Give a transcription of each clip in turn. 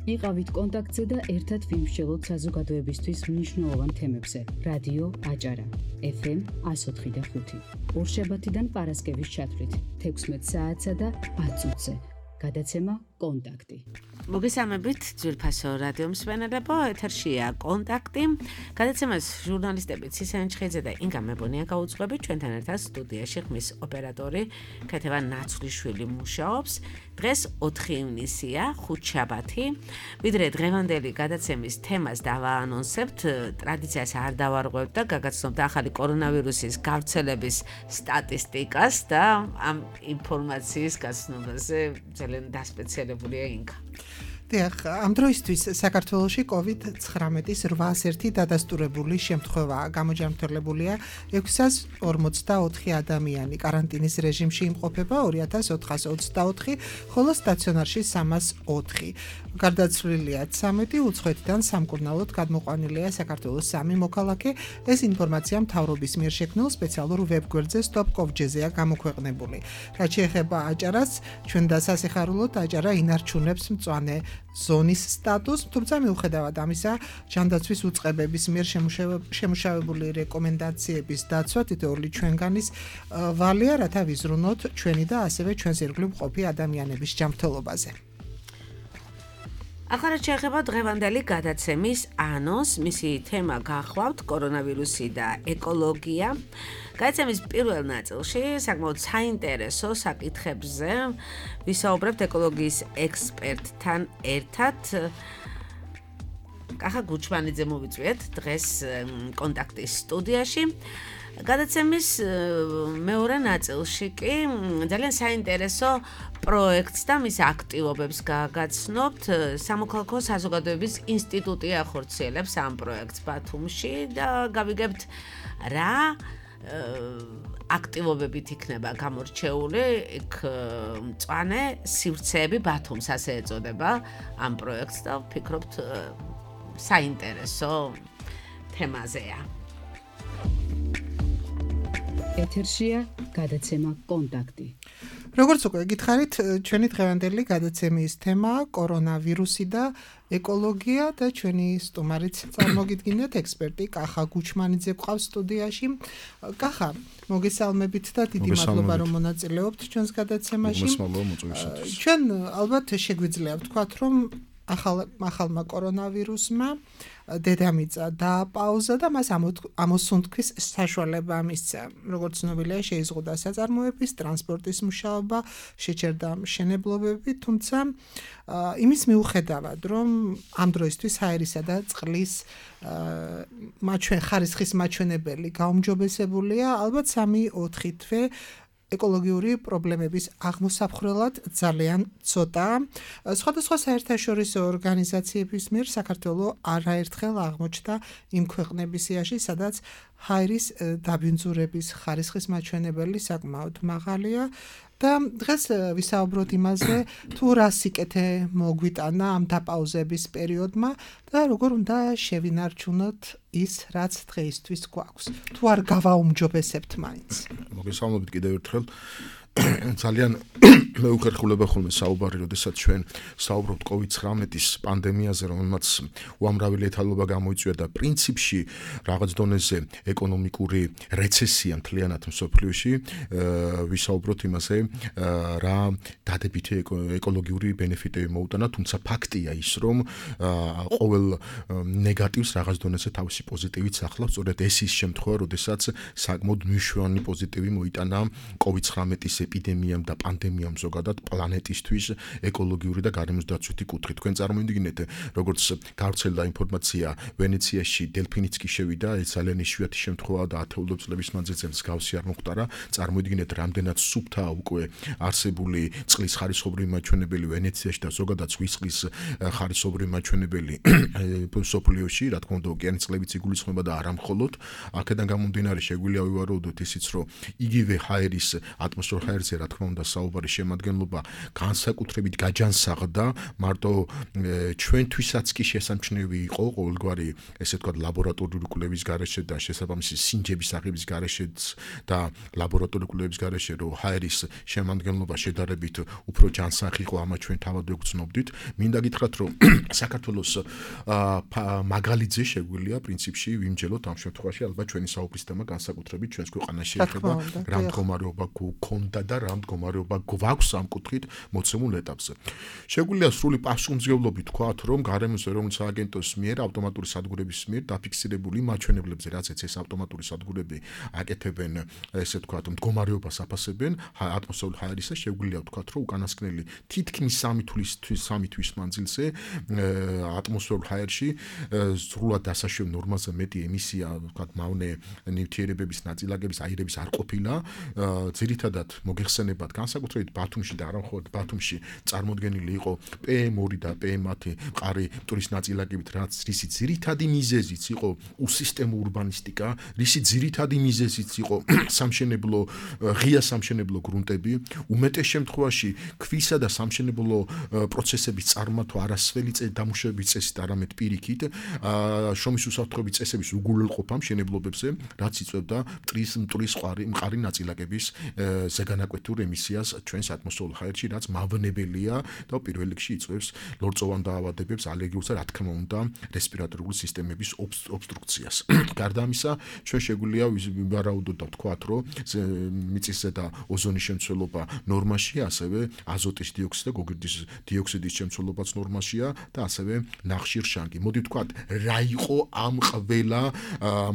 იყავით კონტაქტზე და ერთად ვიმსჯელოთ საზოგადოებისთვის მნიშვნელოვან თემებზე. რადიო აჭარა, FM 104.5. ორშაბათიდან პარასკევის ჩათვლით 16 საათსა და 10 წუთზე. გადაცემა კონტაქტი. მოგესალმებით ძვირფასო რადიო მსმენელებო, ეთერშია კონტაქტი. გადაცემას ჟურნალისტები ცისენ ჩხეიძე და ინგა მებონია გაუძღვებით. ჩვენთან ერთად სტუდიაში ხმის ოპერატორი ქეთევა ნაცვლიშვილი მუშაობს. დღეს 4 ივნისია, ხუთშაბათი. ვიდრე დღევანდელი გადაცემის თემას დავაანონსებთ, ტრადიციას არ დავარღვევთ და გაგაცნობთ ახალი კორონავირუსის გავრცელების სტატისტიკას და ამ ინფორმაციის გაცნობაზე ძალიან დასპეციალებულია ინგა. ამ დროისთვის საქართველოში COVID-19-ის 801 დადასტურებული შემთხვევაა. გამოჯანმრთელებულია 644 ადამიანი. კარანტინის რეჟიმში იმყოფება 2424, ხოლო სტაციონარში 304. გარდაცვლილია 13, უცხოეთიდან სამკურნალოდ გადმოყვანილია საქართველოს 3 მოქალაქე. ეს ინფორმაცია მთავრობის მიერ შექმნილ სპეციალურ ვებგვერდზე stop.gov.gr-ზეა გამოქვეყნებული. რაც შეეხება აჭარას, ჩვენ დასასიხარულოდ აჭარა ინარჩუნებს მწვანე ზონის სტატუსს, თუმცა მიუხედავად ამისა, ჯანდაცვის უწყებების მიერ შემუშავებული რეკომენდაციების დაცვა თითოეული ჩვენგანის ვალია, რათა ვიზრუნოთ ჩვენი და ასევე ჩვენს ირგვლივ მყოფი ადამიანების ჯანმრთელობაზე. ახლა შეეხება დღევანდელი გადაცემის ანონსს, მისი თემა გახლავთ კორონავირუსი და ეკოლოგია. გადაცემის პირველ ნაწილში საკმაოდ საინტერესო საკითხებზე ვისაუბრებთ ეკოლოგიის ექსპერტთან ერთად. კახა გუჩმანიძე მოვიწვიეთ დღეს კონტაქტის სტუდიაში. გადაცემის მეორე ნაწილში კი ძალიან საინტერესო პროექტს და მის აქტივობებს გაგაცნობთ. სამოქალაქო საზოგადოების ინსტიტუტი ახორციელებს ამ პროექტს ბათუმში და გავიგებთ რა აქტივობებით იქნება გამორჩეული იქ მწვანე სივრცეები ბათუმს ასე ეწოდება ამ პროექტს და ვფიქრობთ საინტერესო თემაზეა. ეთერშია გადაცემა კონტაქტი. როგორც უკვე გითხარით, ჩვენი დღევანდელი გადაცემის თემაა კორონავირუსი და ეკოლოგია და ჩვენი სტუმარიც წარმოგიდგინეთ ექსპერტი კახა გუჩმანიძე გვყავს სტუდიაში. კახა, მოგესალმებით და დიდი მადლობა რომ მონაწილეობთ ჩვენს გადაცემაში. ჩვენ ალბათ შეგვიძლია ვთქვათ, რომ ახალმა კორონავირუსმა დედამიწა დააპაუზა და მას ამოსუნთქვის საშუალება მისცა. როგორც ცნობილია, შეიზღუდა საწარმოების, ტრანსპორტის მუშაობა, შეჩერდა მშენებლობები, თუმცა იმის მიუხედავად, რომ ამ დროისთვის ჰაერისა და წყლის ხარისხის მაჩვენებელი გაუმჯობესებულია, ალბათ 3-4 თვე ეკოლოგიური პრობლემების აღმოსაფხრელად ძალიან ცოტაა. სხვადასხვა საერთაშორისო ორგანიზაციების მიერ საქართველოს არაერთხელ აღმოჩნდა იმ ქვეყნების სიაში, სადაც ჰაერის დაბინძურების ხარისხის მაჩვენებელი საკმაოდ მაღალია. და დღეს ვისაუბროთ იმაზე, თუ რა სიკეთე მოგვიტანა ამ დაპაუზების პერიოდმა და როგორ უნდა შევინარჩუნოთ ის, რაც დღეისთვის გვაქვს. თუ არ გავაუმჯობესებთ მაინც. მოგესალმებით კიდევ ერთხელ. ძალიან მეუხერხულება ხოლმე საუბარი, როდესაც ჩვენ საუბრობთ COVID-19-ის პანდემიაზე, რომელმაც უამრავი ლეთალობა გამოიწვია და პრინციპში რაღაც დონეზე ეკონომიკური რეცესია მთლიანად მსოფლიოში, ვისაუბროთ იმაზე, რა დადებითი ეკოლოგიური ბენეფიტები მოუტანა, თუმცა ფაქტია ის, რომ ყოველ ნეგატივს რაღაც დონეზე თავისი პოზიტივით ახლავს. სწორედ ეს ის შემთხვევა, როდესაც საკმაოდ მნიშვნელოვანი პოზიტივი მოიტანა COVID-19-ის ეპიდემიამ და პანდემიამ ზოგადად პლანეტისთვის ეკოლოგიური და გარემოსდაცვითი კუთხით. თქვენ წარმოვიდგინეთ, როგორც გავრცელდა ინფორმაცია, ვენეციაში დელფინიც კი შევიდა, ეს ძალიან იშვიათი შემთხვევაა და ათეულობით წლების მანძილზე მსგავსი არ მოხდარა. წარმოვიდგინეთ, რამდენად სუფთაა უკვე არსებული წყლის ხარისხობრივი მაჩვენებელი ვენეციაში და ზოგადად ზღვის წყლის ხარისხობრივი მაჩვენებელი მსოფლიოში, რა თქმა უნდა, ოკეანის წყლებიც იგულისხმება და არა მხოლოდ. აქედან გამომდინარე, შეგვიძლია ვივარაუდოთ ისიც, რომ იგივე ჰაერის ატმოსფეროს ჰაერზე რა თქმა უნდა საუბარი შემადგენლობა განსაკუთრებით გაჯანსაღდა მარტო ჩვენთვისაც კი შესამჩნევი იყო ყოველგვარი ესე ვთქვათ ლაბორატორიული კვლევის გარეშე და შესაბამისი სინჯების აღების გარეშეც და ლაბორატორიული კვლევის გარეშე რომ ჰაერის შემადგენლობა შედარებით უფრო ჯანსაღი იყო ამას ჩვენ თავად ვგრძნობდით მინდა გითხრათ რომ საქართველოს მაგალითზე შეგვიძლია პრინციპში ვიმჯელოთ ამ შემთხვევაში ალბათ ჩვენი საუბრის თემა განსაკუთრებით ჩვენს ქვეყანაში ეხება რა მდგომარეობა გქონდა და რა მდგომარეობა გვაქვს ამ კუთხით მოცემულ ეტაპზე. შეგვიძლია სრული პასუხისმგებლობით ვთქვათ, რომ გარემოს ეროვნული სააგენტოს მიერ ავტომატური სადგურების მიერ დაფიქსირებული მაჩვენებლებზე, რაც ეს ავტომატური სადგურები აკეთებენ, ესე ვთქვათ, მდგომარეობას აფასებენ ატმოსფერულ ჰაერისა, შეგვიძლია ვთქვათ, რომ უკანასკნელი თითქმის 3 თვის მანძილზე ატმოსფერულ ჰაერში სრულად დასაშვებ ნორმაზე მეტი ემისია, ვთქვათ, მავნე ნივთიერებების ნაწილაკების აირების არ ყოფილა. ძირითადად მოგეხსენებათ განსაკუთრებით ბათუმში და არა მხოლოდ ბათუმში წარმოდგენილი იყო PM2 და PM10 მყარი მტვრის ნაწილაკებით, რაც რისი ძირითადი მიზეზიც იყო უსისტემო ურბანისტიკა, რისი ძირითადი მიზეზიც იყო სამშენებლო ღია სამშენებლო გრუნტები, უმეტეს შემთხვევაში ქვისა და სამშენებლო პროცესების წარმართვა არასველი დამუშავების წესით, არამედ პირიქით, შრომის უსაფრთხოების წესების უგულებყოფა მშენებლობებზე, რაც იწვევდა მტვრის მყარი ნაწილაკების ზეგანაკვეთურ ემისიას ჩვენს ატმოსფერულ ჰაერში, რაც მავნებელია და პირველ რიგში იწვევს ლორწოვან დაავადებებს, ალერგიულს და რა თქმა უნდა რესპირატორული სისტემების ობსტრუქციას. გარდა ამისა, ჩვენ შეგვიძლია ვივარაუდოთ და ვთქვათ, რომ მიწისზედა ოზონის შემცველობა ნორმაშია, ასევე აზოტის დიოქსიდი და გოგირდის დიოქსიდის შემცველობაც ნორმაშია და ასევე ნახშირშანგი. მოდი ვთქვათ, რა იყო ამ ყველა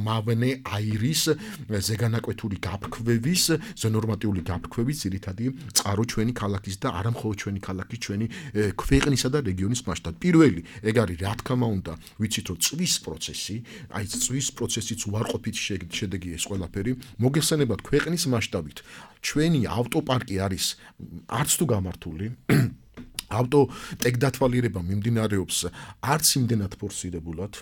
მავნე აირის ზეგანაკვეთური გაფრქვევის, ზონორმატიული გაფრქვევის ძირითადი წყარო ჩვენი ქალაქის და არა მხოლოდ ჩვენი ქალაქის, ჩვენი ქვეყნისა და რეგიონის მასშტაბით. პირველი, ეგ არის რა თქმა უნდა, ვიცით რომ წვის პროცესი, აი წვის პროცესიც უარყოფითი შედეგი ეს ყველაფერი, მოგეხსენებათ ქვეყნის მასშტაბით. ჩვენი ავტოპარკი არის არც თუ გამართული ავტო ტექდათვალიერება მიმდინარეობს არც იმდენად ფორსირებულად.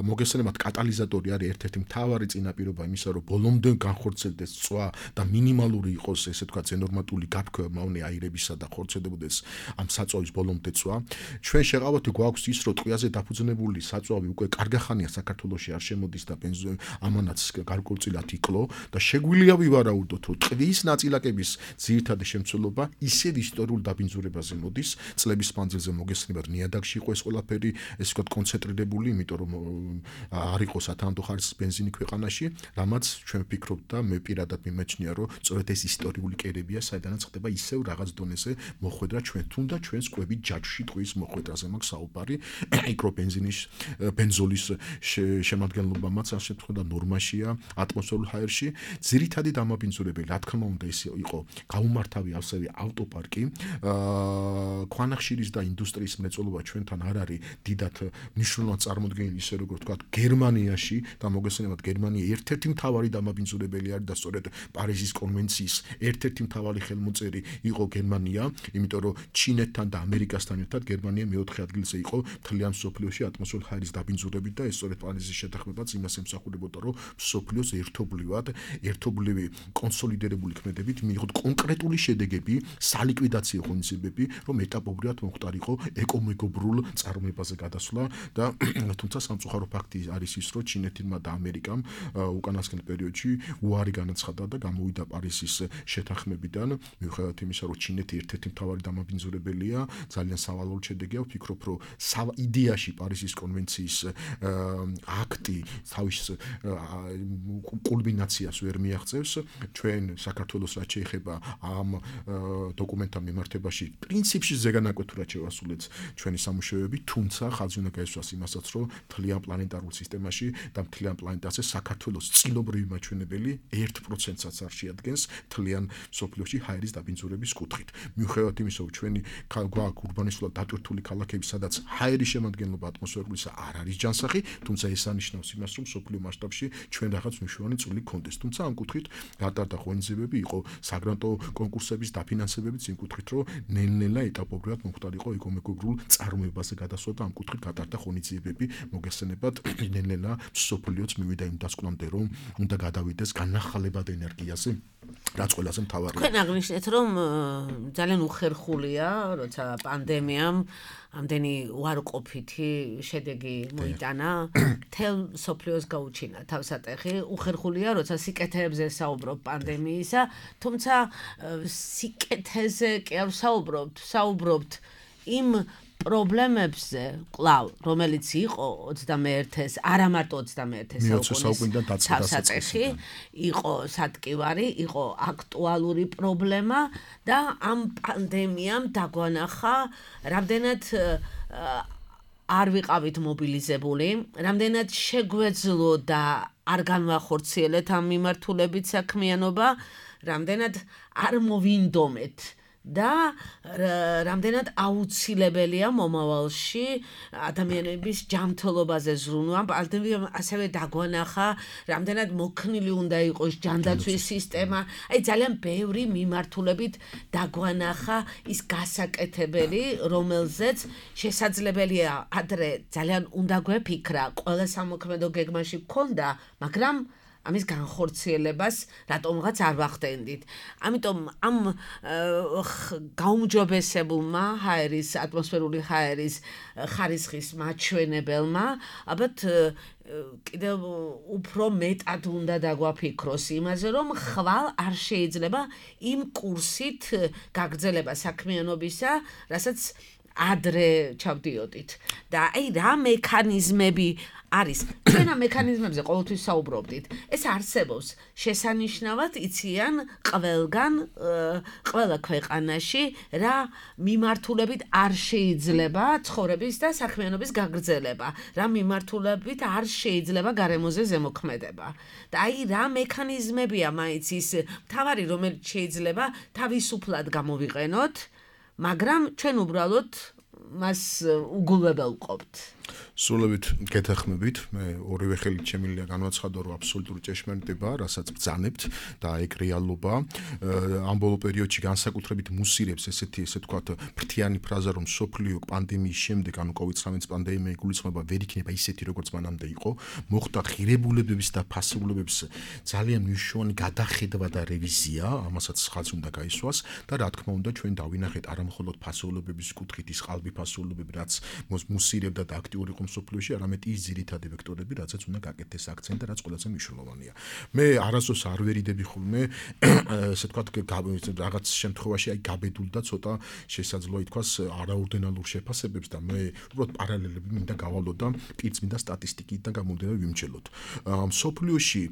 მოგესალმებით კატალიზატორი არის ერთ-ერთი მთავარი წინაპირობა იმისა, რომ ბოლომდე განხორციელდეს წვა და მინიმალური იყოს, ესე ვთქვათ, ზენორმატული გაფრქვევა მავნე აირებისა და ხორციელდებოდეს ამ საწვავის ბოლომდე წვა. ჩვენ შეყავთ გვაქვს ის, რომ ტყვიაზე დაფუძნებული საწვავი უკვე კარგახანია საქართველოში არ შემოდის და ამანაც გარკვეულწილად იკლო და შეგვიძლია ვივარაუდოთ, რომ ტყვის ნაწილაკების ძირითადი შემცველობა ისევ ისტორიულ დაბინძურებაზე მოდის წლების მანძილზე მოგესალმებით ნიადაგში იყო ეს ყველაფერი ესე ვთქვათ კონცენტრირებული, იმიტომ რომ არ იყო სათანადო ხარისხის ბენზინი ქვეყანაში, რამაც ჩვენ ვფიქრობთ და მე პირადად მიმეჩნია, რომ სწორედ ეს ისტორიული კერებია, საიდანაც ხდება ისევ რაღაც დონეზე მოხვედრა ჩვენ თუნდა ჩვენს კვებით ჯაჭვში ტყვის მოხვედრაზე მაქვს საუბარი, მიკრობენზინის ბენზოლის შემადგენლობამაც ამ შემთხვევაში ნორმაშია ატმოსფერულ ჰაერში. ძირითადი დამაბინძურებელი, რა თქმა უნდა, ის იყო გაუმართავი ასევე ავტოპარკი. ქვანახშირის და ინდუსტრიის მრეწველობა ჩვენთან არ არის დიდად მნიშვნელოვნად წარმოდგენილი, ისე როგორც ვთქვათ, გერმანიაში და მოგესალმებით გერმანია ერთ-ერთი მთავარი დამაბინძურებელი არის და სწორედ პარიზის კონვენციის ერთ-ერთი მთავარი ხელმოწერი იყო გერმანია, იმიტომ რომ ჩინეთთან და ამერიკასთან ერთად გერმანია მეოთხე ადგილზე იყო მთლიან მსოფლიოში ატმოსფერულ ჰაერის დაბინძურებით და ეს სწორედ პარიზის შეთანხმებაც იმას ემსახურებოდა, რომ მსოფლიოს ერთობლივი კონსოლიდირებული ქმედებით მიიღოთ კონკრეტული შედეგები, სალიკვიდაციო ღონისძიებები, რომ ეტაპობრივად მომხდარიყო ეკომეგობრულ წარმოებაზე გადასვლა და თუმცა სამწუხარო ფაქტი არის ის, რომ ჩინეთმა და ამერიკამ უკანასკნელ პერიოდში უარი განაცხადა და გამოვიდა პარიზის შეთანხმებიდან, მიუხედავად იმისა, რომ ჩინეთი ერთ-ერთი მთავარი დამაბინძურებელია, ძალიან სავალალო შედეგია. ვფიქრობ, რომ იდეაში პარიზის კონვენციის აქტი თავის კულმინაციას ვერ მიაღწევს. ჩვენ საქართველოს რაც შეეხება ამ დოკუმენტთან მიმართებაში პრინციპში ზეგანაკვეთურად შევასრულეთ ჩვენი სამუშაოები, თუმცა ხაზი უნდა გაისვას იმასაც, რომ მთლიან პლანეტარულ სისტემაში და მთლიან პლანეტაზე საქართველოს წილობრივი მაჩვენებელი 1%-საც არ შეადგენს მთლიან მსოფლიოში ჰაერის დაბინძურების კუთხით. მიუხედავად იმისა, რომ ჩვენი გვაქვს ურბანისტულად დატვირთული ქალაქები, სადაც ჰაერის შემადგენლობა ატმოსფერულისა არ არის ჯანსაღი, თუმცა ეს ანიშნავს იმას, რომ მსოფლიო მასშტაბში ჩვენ რაღაც მნიშვნელოვანი წვლილი გქონდეს. თუმცა ამ კუთხით გატარდა ღონისძიებები, იყო საგრანტო კონკურსების დაფინანსებებიც იმ კუთხით, რომ ნელ-ნელა ნელ-ნელა ეტაპობრივად მომხდარიყო ეკონომიკურ წარმოებაზე გადასვლა და ამ კუთხით გატარდა ღონისძიებები მოგესწრებათ ნელ-ნელა სოფლიოც მივიდა იმ დასკვნამდე რომ უნდა გადავიდეს განახალებად ენერგიაზე რაც ყველაზე მთავარია. თქვენ აღნიშნეთ რომ ძალიან უხერხულია როცა პანდემიამ ამდენი უარყოფითი შედეგი მოიტანა თელ სოფლიოს გაუჩინა თავსატეხი უხერხულია როცა სიკეთეებზე საუბრობ პანდემიისა თუმცა სიკეთეზე კი არ საუბრობთ იმ პრობლემებზე კლავ რომელიც იყო 21-ეს არა მარტო 21-ეს საუკუნის თავსატეხი იყო სატკივარი იყო აქტუალური პრობლემა და ამ პანდემიამ დაგვანახა რამდენად არ ვიყავით მობილიზებული რამდენად შეგვეძლო და არ განვახორციელეთ ამ მიმართულებით საქმიანობა რამდენად არ მოვინდომეთ და რამდენად აუცილებელია მომავალში ადამიანების ჯანმრთელობაზე ზრუნვა პანდემიამ ასევე დაგვანახა რამდენად მოქნილი უნდა იყოს ჯანდაცვის სისტემა აი ძალიან ბევრი მიმართულებით დაგვანახა ის გასაკეთებელი რომელზეც შესაძლებელია ადრე ძალიან უნდა გვეფიქრა ყველა სამოქმედო გეგმაში გქონდა მაგრამ ამის განხორციელებას რატომღაც არ ვახდენდით. ამიტომ ამ გაუმჯობესებულმა ჰაერის ატმოსფერული ჰაერის ხარისხის მაჩვენებელმა ალბათ კიდევ უფრო მეტად უნდა დაგვაფიქროს იმაზე რომ ხვალ არ შეიძლება იმ კურსით გაგრძელება საქმიანობისა, რასაც ადრე ჩავდიოდით. და აი რა მექანიზმები არის ჩვენ ამ მექანიზმებზე ყოველთვის საუბრობდით ეს არსებობს შესანიშნავად იციან ყველგან ყველა ქვეყანაში რა მიმართულებით არ შეიძლება ცხოვრების და საქმიანობის გაგრძელება რა მიმართულებით არ შეიძლება გარემოზე ზემოქმედება და აი რა მექანიზმებია მაინც ის მთავარი რომელიც შეიძლება თავისუფლად გამოვიყენოთ მაგრამ ჩვენ უბრალოდ მას უგულებელ ვყოფთ სრულებით გეთანხმებით მე ორივე ხელით შემიძლია განვაცხადო რომ აბსოლუტური ჭეშმარიტებაა რასაც ბრძანებთ და ეგ რეალობა ამ ბოლო პერიოდში განსაკუთრებით მუსირებს ესე თქვათ ფრთიანი ფრაზა რომ სოფლიო პანდემიის შემდეგ ანუ COVID-19 პანდემია იგულისხმება ვერ იქნება ისეთი როგორც მანამდე იყო მოხდა ღირებულებების და ფასებულობების ძალიან მნიშვნელოვანი გადახედვა და რევიზია ამასაც ხაზი უნდა გაისვას და რა თქმა უნდა ჩვენ დავინახეთ არა მხოლოდ ფასეულობების კუთხით ის ყალბი ფასეულობები რაც მოსირებდა და აქტიური იყო სოფლიოში არამედ ის ძირითადი ვექტორები რაცაც უნდა გაკეთდეს აქცენტი და რაც ყველაზე მნიშვნელოვანია მე არასდროს არ ვერიდები ხოლმე ესე თქვათ რაღაც შემთხვევაში აი გაბედულ და ცოტა შესაძლოა ითქვას არაორდინალურ შეფასებებს და მე უბრალოდ პარალელები მინდა გავალო და პირც მინდა სტატისტიკიდან გამომდინარე ვიმჩელოთ სოფლიოში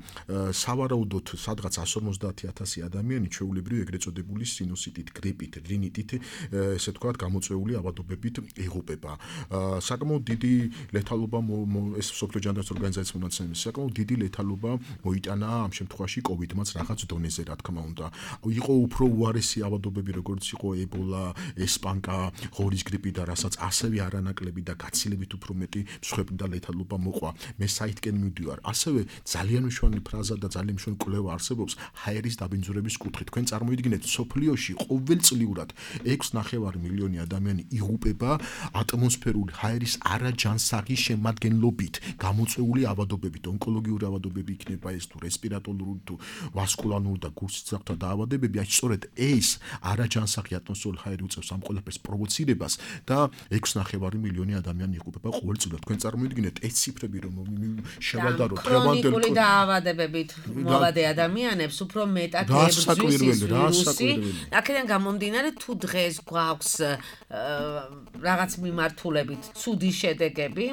სავარაუდოდ სადღაც 150,000 ადამიანი ჩვეულებრივ ეგრეთ წოდებული სინუსიტით გრიპით რინიტით ესე თქვათ გამოწვეული ავადობებით იღუპება საკმაოდ დიდი ლეთალობა ეს სოფლიო ჯანდაცვის ორგანიზაციის მონაცემების საკმაოდ დიდი ლეთალობა მოიტანა ამ შემთხვევაში COVID-მაც რაღაც დონეზე რა თქმა უნდა იყო უფრო უარესი ავადობები როგორც იყო ებოლა, ესპანკა, ღორის გრიპი და რასაც ასევე არანაკლები და გაცილებით უფრო მეტი მსხვერპლი და ლეთალობა მოყვა მე საიტკენ მივდივარ ასევე ძალიან მნიშვნელოვანი ფრაზა და ძალიან მნიშვნელოვანი კვლევა არსებობს ჰაერის დაბინძურების კუთხით თქვენ წარმოიდგინეთ სოფლიოში ყოველწლიურად 6.5 მილიონი ადამიანი იღუპება ატმოსფერული ჰაერის არაჯანსაღი შემადგენლობით გამოწვეული ავადობებით ონკოლოგიური ავადობები იქნება ეს თუ რესპირატორული თუ ვასკულარული და გულსიცოცხლეთა დაავადებები აი სწორედ ეს არაჯანსაღი ატმოსფერული ჰაერი უწევს ამ ყველაფერს პროვოცირებას და 6.5 მილიონი ადამიანი იღუპება ყოველწლიურად თქვენ წარმოიდგინეთ ეს ციფრები რომ შევადაროთ ქრონიკული დაავადებებით მოვადე ადამიანებს უფრო მეტად ებრძვის ვირუსი აქედან გამომდინარე თუ დღეს გვაქვს რაღაც მიმართულებით ცუდი შედეგები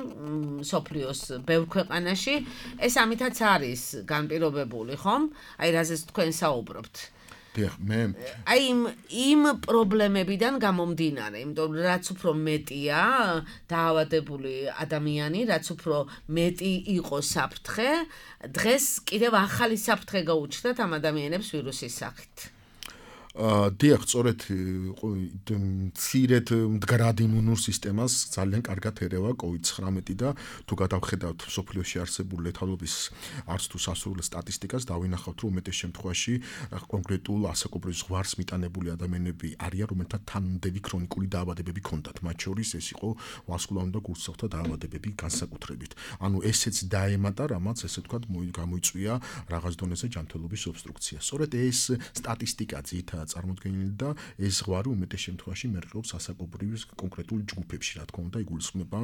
სოფლიოს ბევრ ქვეყანაში ეს ამითაც არის განპირობებული ხომ აი რაზეც თქვენ საუბრობთ მე აი იმ პრობლემებიდან გამომდინარე იმიტომ რაც უფრო მეტია დაავადებული ადამიანი რაც უფრო მეტი იყო საფრთხე დღეს კიდევ ახალი საფრთხე გაუჩნდათ ამ ადამიანებს ვირუსის სახით დიახ, სწორედ მცირედ მდგრად იმუნურ სისტემას ძალიან კარგად ერევა COVID-19 და თუ გადავხედავთ სოფლიოში არსებულ ლეთალობის არც თუ სასურველ სტატისტიკას, დავინახავთ, რომ უმეტეს შემთხვევაში კონკრეტულ ასაკობრივ ზღვარს მიტანებული ადამიანები არიან, რომელთა თანმიმდევრი ქრონიკული დაავადებები ჰქონდათ, მათ შორის ეს იყო ვასკულარული და გულსახთა დაავადებები განსაკუთრებით. ანუ ესეც დაემატა, რამაც ესე ვთქვათ, გამოიწვია რაღაც დონეზე ჯანმრთელობის ობსტრუქცია. სწორედ ეს სტატისტიკა ძირითადად წარმოდგენილი და ეს ზღვარი უმეტეს შემთხვევაში მერყეობს ასაკობრივ კონკრეტულ ჯგუფებში, რა თქმა უნდა, იგულისხმება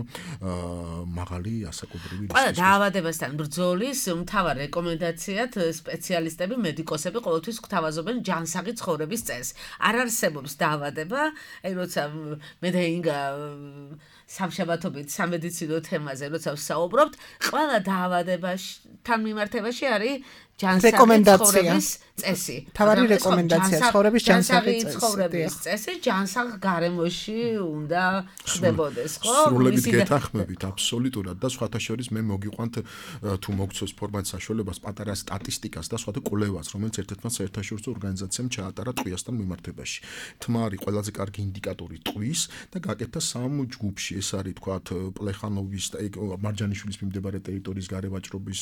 მაღალი ასაკობრივი რისკი. ყველა დაავადებასთან ბრძოლის მთავარ რეკომენდაციად სპეციალისტები, მედიკოსები ყოველთვის გვთავაზობენ ჯანსაღი ცხოვრების წესს. არ არსებობს დაავადება, აი როცა მე და ინგა სამშაბათობით სამედიცინო თემაზე როცა ვსაუბრობთ, ყველა დაავადებასთან მიმართებაში არის ჯანსაღი ცხოვრების წესი. თავარი რეკომენდაცია ცხოვრების ჯანსაღი წესი, ჯანსაღ გარემოში უნდა ხდებოდეს, ხო? სრულებით გეთანხმებით, აბსოლუტურად და სხვათა შორის მე მოგიყვანთ თუ მოგცოს ფორმატ საშუალებას პატარა სტატისტიკას და სხვათა კვლევას, რომელიც ერთ-ერთმა საერთაშორისო ორგანიზაციამ ჩაატარა ტყვიასთან მიმართებაში. თმა არის ყველაზე კარგი ინდიკატორი ტყვის და გაკეთდა სამ ჯგუფში. ეს არის თქვათ პლეხანოვის და მარჯანიშვილის მიმდებარე ტერიტორიის გარევაჭრობის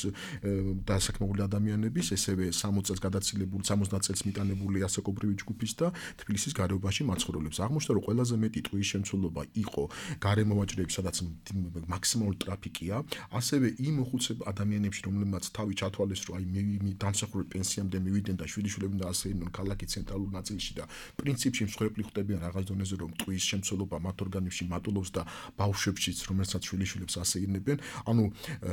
დასაქმებული ადამიანების, ესევე 60 წელს გადაცილებული 70 წელს მიტანებული ასაკობრივი ჯგუფის და თბილისის გარეუბანში მაცხოვრებლებს. აღმოჩნდა, რომ ყველაზე მეტი ტყვის შემცველობა იყო გარემოვაჭრეებში, სადაც მაქსიმალური ტრაფიკია, ასევე იმ მოხუცებ ადამიანებში, რომლებმაც თავი ჩათვალეს, რომ აი დამსახურებელ პენსიამდე მივიდნენ და შვიდიშვილებიდან და ასე იყვნენ ქალაქის ცენტრალურ ნაწილში და პრინციპში მსხვერპლი ხვდებიან რაღაც დონეზე, რომ ტყვის შემცველობა მათ ორგანიზმში მატულობს და ბავშვებშიც, რომელსაც შვილიშვილებს ასეირნებენ. ანუ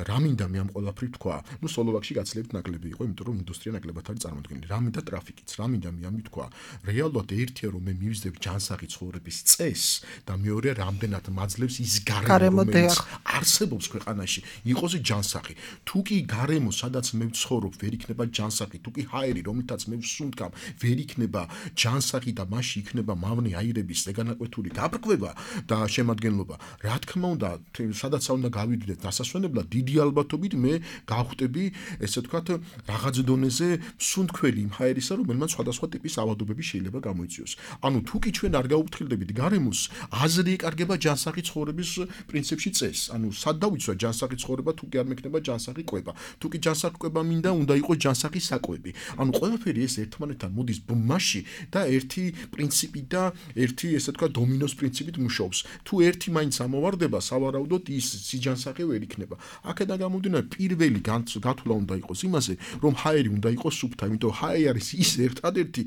რა მინდა მე ამ ყველაფრით თქვა? ნუ სლოვაკში გაცილებით ნაკლები იყო, იმიტომ რომ ინდუსტრია ნაკლებად არის წარმოდგენილი. რა მინდა ტრაფიკიც, რა მინდა მე ამით თქვა? რეალურად ერთია რომ მე მივიზდებ ჯანსაღი ცხოვრების წესს და მეორეა რამდენად მაძლევს ის გარემო, რომელიც არსებობს ქვეყანაში, იყოს ჯანსაღი. თუ კი გარემო, სადაც მე ვცხოვრობ, ვერ იქნება ჯანსაღი, თუ კი ჰაერი, რომელთაც მე ვსუნთქავ, ვერ იქნება ჯანსაღი და მასში იქნება მავნე აირების ზეგანაკვეთური გაბრკვება და შემადგენლობა. რა თქმა უნდა, სადაც უნდა გავიდრდეთ დასასვენებლად, დიდი ალბათობით მე გავხდები, ესე ვთქვათ, რაღაც დონეზე სუნთქველი იმ ჰაერისა, რომელმაც სხვადასხვა ტიპის ავადობები შეიძლება გამოიწვიოს. ანუ თუ კი ჩვენ არ გაუფრთხილდებით გარემოს, აზრი ეკარგება ჯანსაღი ცხოვრების პრინციპში წესს. ანუ სად დავიცვა ჯანსაღი ცხოვრება, თუ კი არ მექნება ჯანსაღი კვება. თუ კი ჯანსაღი კვება მინდა, უნდა იყოს ჯანსაღი საკვები. ანუ ყველაფერი ეს ერთმანეთთან მოდის ბმაში და ერთი პრინციპი და ერთი, ესე ვთქვათ, დომინოს პრინციპით მუშაობს. თუ ერთი მაინც ამოვარდება, სავარაუდოდ ის სიჯანსაღი ვერ იქნება. აქედან გამომდინარე, პირველი გათვლა უნდა იყოს იმაზე, რომ ჰაერი უნდა იყოს სუფთა, იმიტომ ჰაერი არის ის ერთადერთი,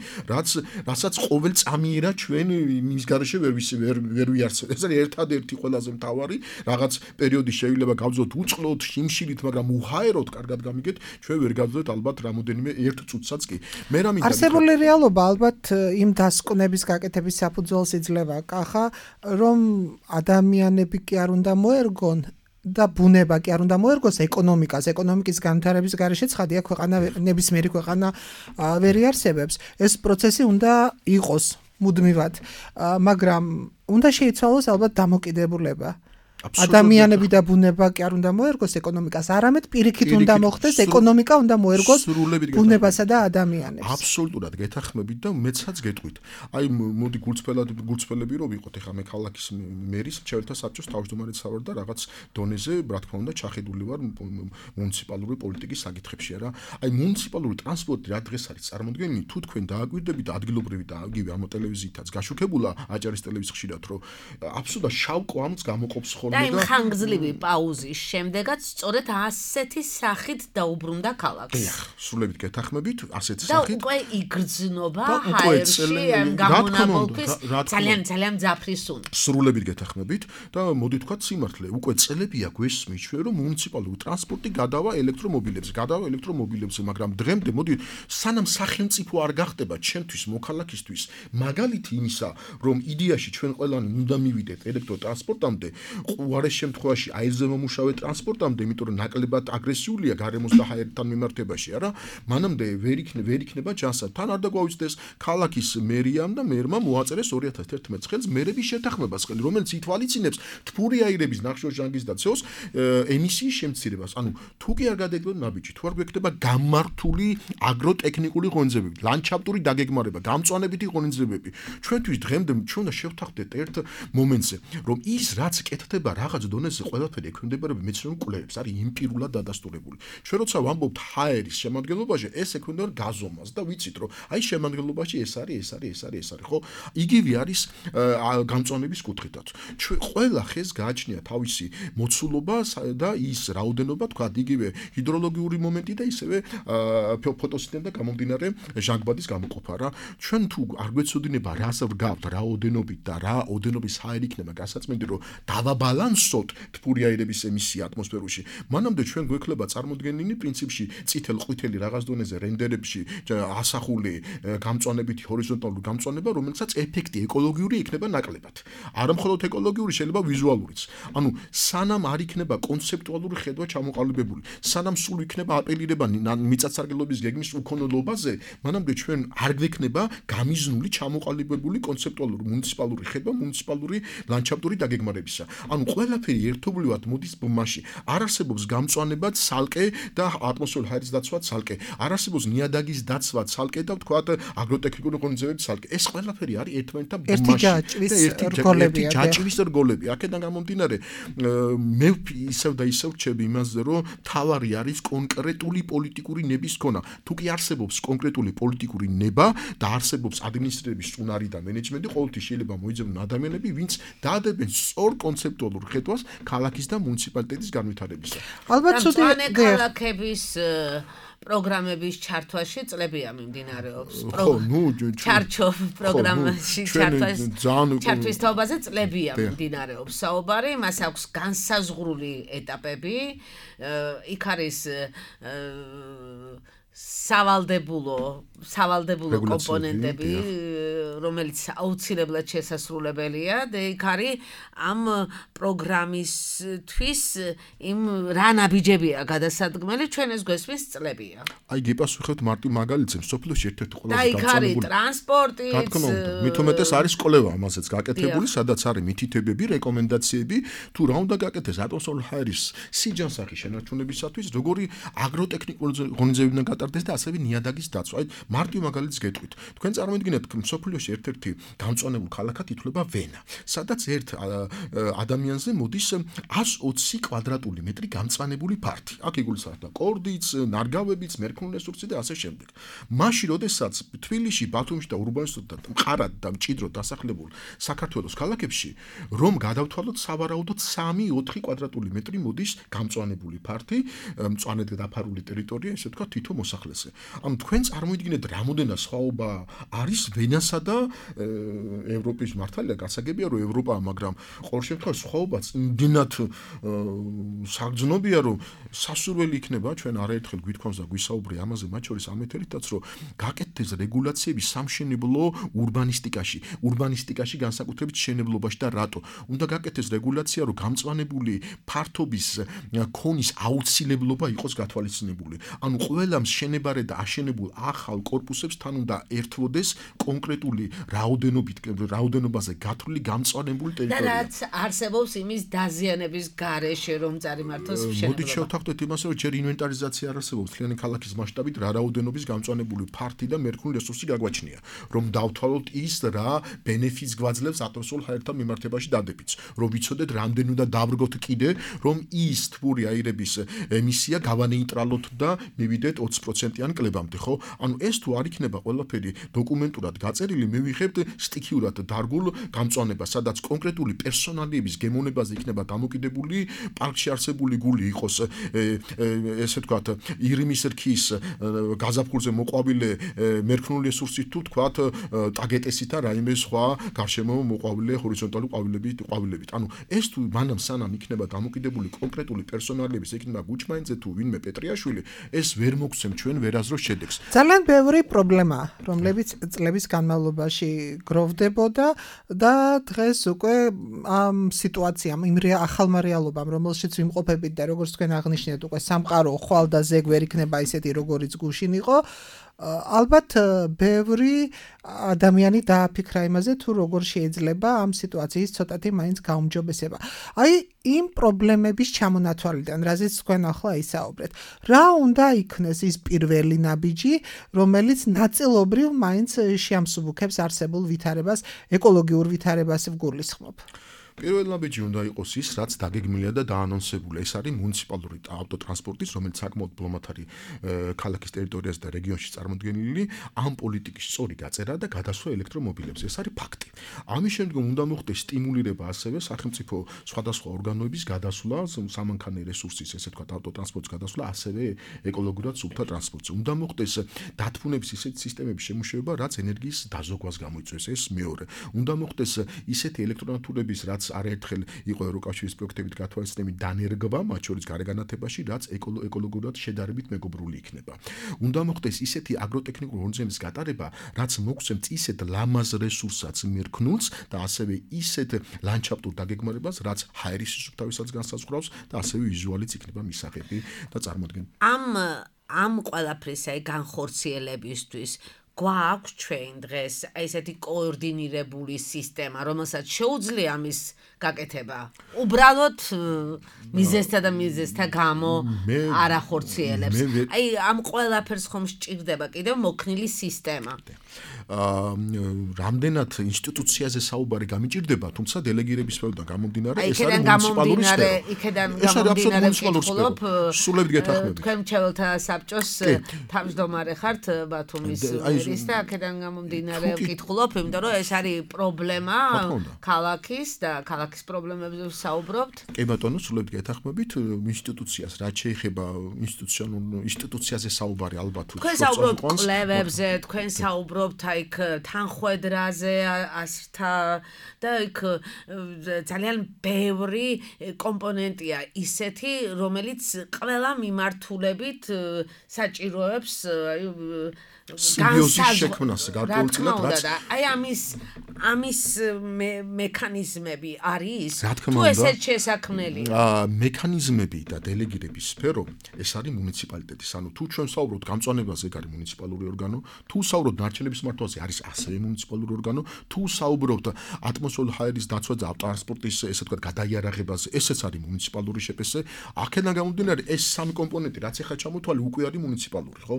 რასაც ყოველ წამიერად ჩვენ მის გარეშე ვერ ვიარსებთ. ეს არის ერთადერთი ყველაზე მთავარი, რაღაც პერიოდი შეიძლება გავძლოთ უწყლოდ, შიმშილით, მაგრამ უჰაეროდ კარგად გამიგეთ, ჩვენ ვერ გავძლოთ ალბათ რამოდენიმე ერთ წუთსაც კი. მე რა მინდა არსებული რეალობა ალბათ იმ დასკვნების გაკეთების საფუძველს იძლევა, კახა, რომ ადამიანები კი არ უნდა მოერგონ და ბუნება კი არ უნდა მოერგოს ეკონომიკას. ეკონომიკის განვითარების გარეშე ცხადია, ქვეყანა ნებისმიერი ქვეყანა ვერ იარსებებს. ეს პროცესი უნდა იყოს მუდმივად, მაგრამ უნდა შეიცვალოს ალბათ დამოკიდებულება. ადამიანები და ბუნება კი არ უნდა მოერგოს ეკონომიკას, არამედ პირიქით უნდა მოხდეს ეკონომიკა უნდა მოერგოს ბუნებასა და ადამიანებს. აბსოლუტურად გეთანხმებით და მეცაც გეტყვით. აი მოდი გულწრფელები რომ ვიყოთ, ეხლა მე ქალაქის მერის მრჩეველთა საბჭოს თავმჯდომარედ ვარ და რაღაც დონეზე, რა თქმა უნდა, ჩახედული ვარ მუნიციპალური პოლიტიკის საკითხებში რა. აი მუნიციპალური ტრანსპორტი რა დღეს არის წარმოდგენილი, თუ თქვენ დააგვირდებით ადგილობრივი და აგივე ამ ტელევიზიითაც გაშუქებულა აჭარის ტელევიზია ხშირად რომ აბსოლუტურად შავ კვამს გამოყოფს და იმ ხანგრძლივი პაუზის შემდეგაც სწორედ ასეთი სახით დაუბრუნდა ქალაქს. დიახ, სრულებით გეთანხმებით, ასეთი სახით. და უკვე იგრძნობა ჰაერში ამ გამონაბოლქვის ძალიან მძაფრი სუნი. სრულებით გეთანხმებით და მოდი თქვათ სიმართლე, უკვე წელებია გვესმის ჩვენ რომ მუნიციპალური ტრანსპორტი გადავა ელექტრომობილებზე, მაგრამ დღემდე მოდი სანამ სახელმწიფო არ გახდება ჩემთვის მოქალაქისთვის მაგალითი იმისა, რომ იდეაში ჩვენ ყველანი უნდა მივიდეთ ელექტროტრანსპორტამდე, უარეს შემთხვევაში აირზე მომუშავე ტრანსპორტამდე, იმიტომ რომ ნაკლებად აგრესიულია გარემოს და ჰაერთან მიმართებაში, არა? მანამდე ვერ იქნება ჯანსაღ. თან არ დაგვაუწყდეს ქალაქის მერიამ და მერმა მოაწერეს 2011 წელს მერების შეთანხმებას, რომელიც ითვალისწინებს თბური აირების ნახშირორჟანგის და CO2 ემისიის შემცირებას. ანუ თუ კი არ გადაიგებთ ნაბიჯი, თუ არ გვექნება გამართული აგროტექნიკური ღონისძიებები, ლანდშაფტური დაგეგმარება, გამწვანებითი ღონისძიებები, ჩვენთვის დღემდე ჩვენ უნდა შევთანხმდეთ ერთ მომენტზე, რომ ის რაც კეთდება რაღაც დონეზე ყველაფერი ექვემდებარება მეცნიერულ კვლევებს, არის იმპირულად დადასტურებული. ჩვენ როცა ვამბობთ ჰაერის შემადგენლობაში, ეს ექვემდებარება გაზომას და ვიცით, რომ აი შემადგენლობაში ეს არის, ხო? იგივე არის გამწვანების კუთხითაც. ჩვენ ყველა ხეს გააჩნია თავისი მოცულობა და ის რაოდენობა, თქვა, იგივე ჰიდროლოგიური მომენტი და ისევე ფოტოსინთეზიდან გამომდინარე ჟანგბადის გამოყოფა რა. ჩვენ თუ არ გვეცოდინება რას ვგავთ რაოდენობით და რა ოდენობის ჰაერი იქნება გასაწმენდი, რომ დავაბალანსოთ თბური აირების ემისია ატმოსფეროში. მანამდე ჩვენ გვექნება წარმოდგენილი პრინციპში წითელ-ყვითელი რაღაც დონეზე რენდერებში ასახული გამწვანებითი ჰორიზონტალური გამწვანება, რომელსაც ეფექტი ეკოლოგიური იქნება ნაკლებად. არა მხოლოდ ეკოლოგიური, შეიძლება ვიზუალურიც. ანუ სანამ არ იქნება კონცეპტუალური ხედვა ჩამოყალიბებული, სანამ სულ იქნება აპელირება მიწათსარგებლობის გეგმის უქონლობაზე, მანამდე ჩვენ არ გვექნება გამიზნული ჩამოყალიბებული კონცეპტუალური მუნიციპალური ხედვა მუნიციპალური ლანდშაფტური დაგეგმარებისა. ანუ ყველაფერი ერთობლივად მოდის ბმაში. არ არსებობს გამწვანებად სალკე და ატმოსფეროს ჰაერის დაცვად სალკე. არ არსებობს ნიადაგის დაცვად სალკე და ვთქვათ აგროტექნიკური ღონისძიებებით სალკე. ეს ყველაფერი არის ერთმანეთთან ბმაში. ერთი ჯაჭვის რგოლები. აქედან გამომდინარე, მე ისევ და ისევ რჩები იმაზე, რომ თავარი არის კონკრეტული პოლიტიკური ნების ქონა. თუ კი არსებობს კონკრეტული პოლიტიკური ნება და არსებობს ადმინისტრირების წუნარი და მენეჯმენტი, ყოველთვის შეიძლება მოიძებნონ ადამიანები, ვინც დაადებენ სწორ კონცეპტუალურ ხედვას ქალაქის და მუნიციპალიტეტის განვითარებისა. ალბათ მწვანე ქალაქების პროგრამების ჩართვაში წლებია მიმდინარეობს. ჩარჩო პროგრამაში ჩართვის თაობაზე წლებია მიმდინარეობს საუბარი, მას აქვს განსაზღვრული ეტაპები, იქ არის სავალდებულო კომპონენტები, რომელიც აუცილებლად შესასრულებელია და იქ არის ამ პროგრამისთვის იმ რა ნაბიჯებია გადასადგმელი, ჩვენ ეს გვესმის წლებია. აი გიპასუხებთ მარტო მაგალითზე, სოფლიოში ერთ-ერთი ყველაზე და იქ არის ტრანსპორტიც, მით უმეტეს არის კვლევა ამაზეც გაკეთებული, სადაც არის მითითებები, რეკომენდაციები, თუ რა უნდა გაკეთდეს ატმოსფეროს ჰაერის სიჯანსაღი შენარჩუნებისათვის, როგორი აგროტექნიკური ღონისძიებებიდან გატარდეს და ასევე ნიადაგის დაცვა. აი მარტო მაგალითს გეტყვით. თქვენ წარმოიდგინეთ, სოფლიოში ერთ-ერთი გამწვანებულ ქალაქად ითვლება ვენა, სადაც ერთ ადამიანზე მოდის 120 კვადრატული მეტრი გამწვანებული ფართი. აქ იგულისხმება კორდიც, ნარგავებიც, მერქნული რესურსი და ასე შემდეგ. მაშინ, როდესაც თბილისში, ბათუმში და ურბანისტად და მყარად და მჭიდროდ დასახლებულ საქართველოს ქალაქებში, რომ გადავთვალოთ სავარაუდოდ 3-4 კვადრატული მეტრი მოდის გამწვანებული ფართი, მწვანედ დაფარული ტერიტორია, ესე ვთქვათ, თითო მოსახლეზე. ანუ თქვენ წარმოიდგინეთ, რამოდენა სხვაობა არის ვენასა და ევროპის მართალია, გასაგებია, რომ ევროპა, მაგრამ ყოველ შემთხვევაში სხვაობაც იმდენად საგრძნობია, რომ სასურველი იქნება ჩვენ არაერთხელ გვითქვამს და გვისაუბრე ამაზე, მათ შორის ამ ეთერითაც, რომ გაკეთდეს რეგულაციები სამშენებლო ურბანისტიკაში, განსაკუთრებით შენებლობაში და რატო. უნდა გაკეთდეს რეგულაცია, რომ გამწვანებული ფართობის ქონის აუცილებლობა იყოს გათვალისწინებული. ანუ ყველა მშენებარე და აშენებულ ახალ კორპუსებს თან უნდა ერთვოდეს კონკრეტული რაოდენობაზე გათვლილი გამწვანებული ტერიტორია. და რაც არსებობს იმის დაზიანების გარეშე, რომ წარიმართოს შენობა. მოდით შევთანხმდეთ იმას, რომ ჯერ ინვენტარიზაცია არ არსებობს მთლიანი ქალაქის მასშტაბით, რა რაოდენობის გამწვანებული ფართი და მერქნული რესურსი გაგვაჩნია, რომ დავთვალოთ ის რა ბენეფიტს გვაძლევს ატმოსფეროს ჰაერთან მიმართებაში დადებითს, რომ ვიცოდეთ რამდენი უნდა დავრგოთ კიდე, რომ ის თბური აირების ემისია გავანეიტრალოთ და მივიდეთ 20%-იან კლებამდე, ხო? ანუ ეს თუ არ იქნება ყველაფერი დოკუმენტურად გაწერილი, მე ვიღებთ სტიქიურად დარგულ გამწვანებას, სადაც კონკრეტული პერსონალიების გემოვნებაზე იქნება დამოკიდებული, პარკში არსებული გული იყოს, ესე ვთქვათ, ირიმის რქის გაზაფხულზე მოყვავილე მერქნული რესურსით თუ ვთქვათ, ტაგეტესით და რაიმე სხვა გარშემო მოყვავილე ჰორიზონტალური ყვავილებით. ანუ ეს თუ მანამ სანამ იქნება დამოკიდებული კონკრეტული პერსონალიების, იქნება გუჩმაინძე თუ ვინმე პეტრიაშვილი, ეს ვერ მოგცემ ჩვენ ვერაზროს შედეგს. ძალიან ბევრი პრობლემაა, რომლებიც წლების განმავლობაში გროვდებოდა და დღეს უკვე ამ სიტუაციამ, იმ ახალმა რეალობამ, რომელშიც ვიმყოფებით და როგორც თქვენ აღნიშნეთ, უკვე სამყარო ხვალ და ზეგ ვერ იქნება ისეთი, როგორიც გუშინ იყო. ალბათ ბევრი ადამიანი დააფიქრა იმაზე, თუ როგორ შეიძლება ამ სიტუაციის ცოტათი მაინც გაუმჯობესება. აი, იმ პრობლემების ჩამონათვალიდან, რაზეც თქვენ ახლა ისაუბრეთ, რა უნდა იქნეს ის პირველი ნაბიჯი, რომელიც ნაწილობრივ მაინც შეამსუბუქებს არსებულ ვითარებას, ეკოლოგიურ ვითარებას ვგულისხმობ. პირველ ნაბიჯი უნდა იყოს ის, რაც დაგეგმილია და დაანონსებულია. ეს არის მუნიციპალური ავტოტრანსპორტის, რომელიც საკმაოდ ბლომად არის ქალაქის ტერიტორიაზე და რეგიონში წარმოდგენილი, ამ პოლიტიკის სწორი გაწერა და გადასვლა ელექტრომობილებზე. ეს არის ფაქტი. ამის შემდგომ უნდა მოხდეს სტიმულირება ასევე სახელმწიფო სხვადასხვა ორგანოების გადასვლა, სამანქანო რესურსის, ესე ვთქვათ, ავტოტრანსპორტის გადასვლა, ასევე ეკოლოგიურად სუფთა ტრანსპორტზე. უნდა მოხდეს დათბუნების ისეთი სისტემების შემუშავება, რაც ენერგიის დაზოგვას გამოიწვევს. ეს მეორე. უნდა მოხდეს ისეთი ელექტრონატურების, რაც არაერთხელ იყო ევროკავშირის პროექტებით გათვალისწინებული დანერგვა, მათ შორის გარეგანათებაში, რაც ეკოლოგიურად შედარებით მეგობრული იქნება. უნდა მოხდეს ისეთი აგროტექნიკური ორგანიზების გატარება, რაც მოგცემს ისეთ ლამაზ რესურსსაც მერქნულს და ასევე ისეთ ლანდშაფტურ დაგეგმარებას, რაც ჰაერის სუფთავისაც განსაზღვრავს და ასევე ვიზუალიც იქნება მისაღები და წარმოადგენს. ამ ყველაფრის განხორციელებისთვის გვაქვს ჩვენ დღეს ესეთი კოორდინირებული სისტემა, რომელსაც შეუძლია მის გაკეთება. უბრალოდ მიზესთა და მიზესთა გამო არ ახორციელებს. აი, ამ ყველაფერს ხომ სჭირდება კიდევ მოქნილი სისტემა. რამდენად ინსტიტუციაზე საუბარი გამიჭირდება, თუმცა დელეგირების სფეროდან გამომდინარე, ეს არის მუნიციპალური სფერო. იქედან გამომდინარე ვკითხულობ, სულებით გეთანხმებით. თქვენ მრჩეველთა საბჭოს თავმჯდომარე ხართ ბათუმის მერის და აქედან გამომდინარე ვკითხულობ, იმიტომ რომ ეს არის პრობლემა ქალაქის და ქალაქის პრობლემებზე ვსაუბრობთ. კი ბატონო, სულებით გეთანხმებით, ინსტიტუციას რაც შეეხება ინსტიტუციაზე საუბარი ალბათ თქვენ საუბრობთ კვლევებზე, თქვენ საუბრობთ იქ თანხვედრაზე ასრთა და იქ ძალიან ბევრი კომპონენტია ისეთი, რომელიც ყველა მიმართულებით საჭიროებს სიბიოზის შექმნას გარკვეულწილად რაც აი ამის მექანიზმები არის თუ ესეც შესაქმნელი მექანიზმები და დელეგირების სფერო ეს არის მუნიციპალიტეტის ანუ თუ ჩვენ საუბრობთ გამწვანებაზე ეგ არის მუნიციპალური ორგანო თუ საუბრობთ ნარჩენების მართვაზე არის ასევე მუნიციპალური ორგანო თუ საუბრობთ ატმოსფერული ჰაერის დაცვა და ტრანსპორტის ესე ვთქვათ გადაიარაღებაზე ესეც არის მუნიციპალური შეფესე აქედან გამომდინარე ეს სამი კომპონენტი რაც ახლა ჩამოთვალე უკვე არის მუნიციპალური ხო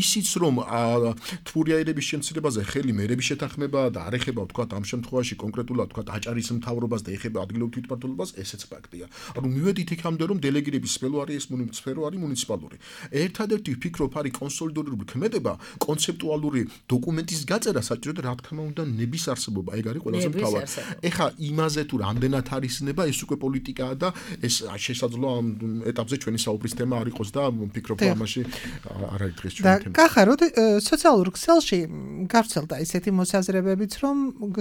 ისიც რომ თბური აირების შემცირებაზე ხელი მერების შეთანხმება და არ ეხება ვთქვათ ამ შემთხვევაში კონკრეტულად ვთქვათ აჭარის მთავრობას და ეხება ადგილობრივ თვითმმართველობას ესეც ფაქტია. ანუ მივედით იქამდე რომ დელეგირების სფერო არის ეს სფერო არის მუნიციპალური. ერთადერთი ვფიქრობ არის კონსოლიდირებული ქმედება, კონცეპტუალური დოკუმენტის გაწერა საჭიროა რა თქმა უნდა ნების არსებობა ეგ არის ყველაზე მთავარი. ეხა იმაზე თუ რამდენად არის ნება ეს უკვე პოლიტიკაა და ეს შესაძლოა ამ ეტაპზე ჩვენი საუბრის თემა არ იყოს და ვფიქრობ რომ ამაში არ არის დღეს ჩვენი თემა. გახაროთ სოციალურ ქსელში გავრცელდა ისეთი მოსაზრებებიც, რომ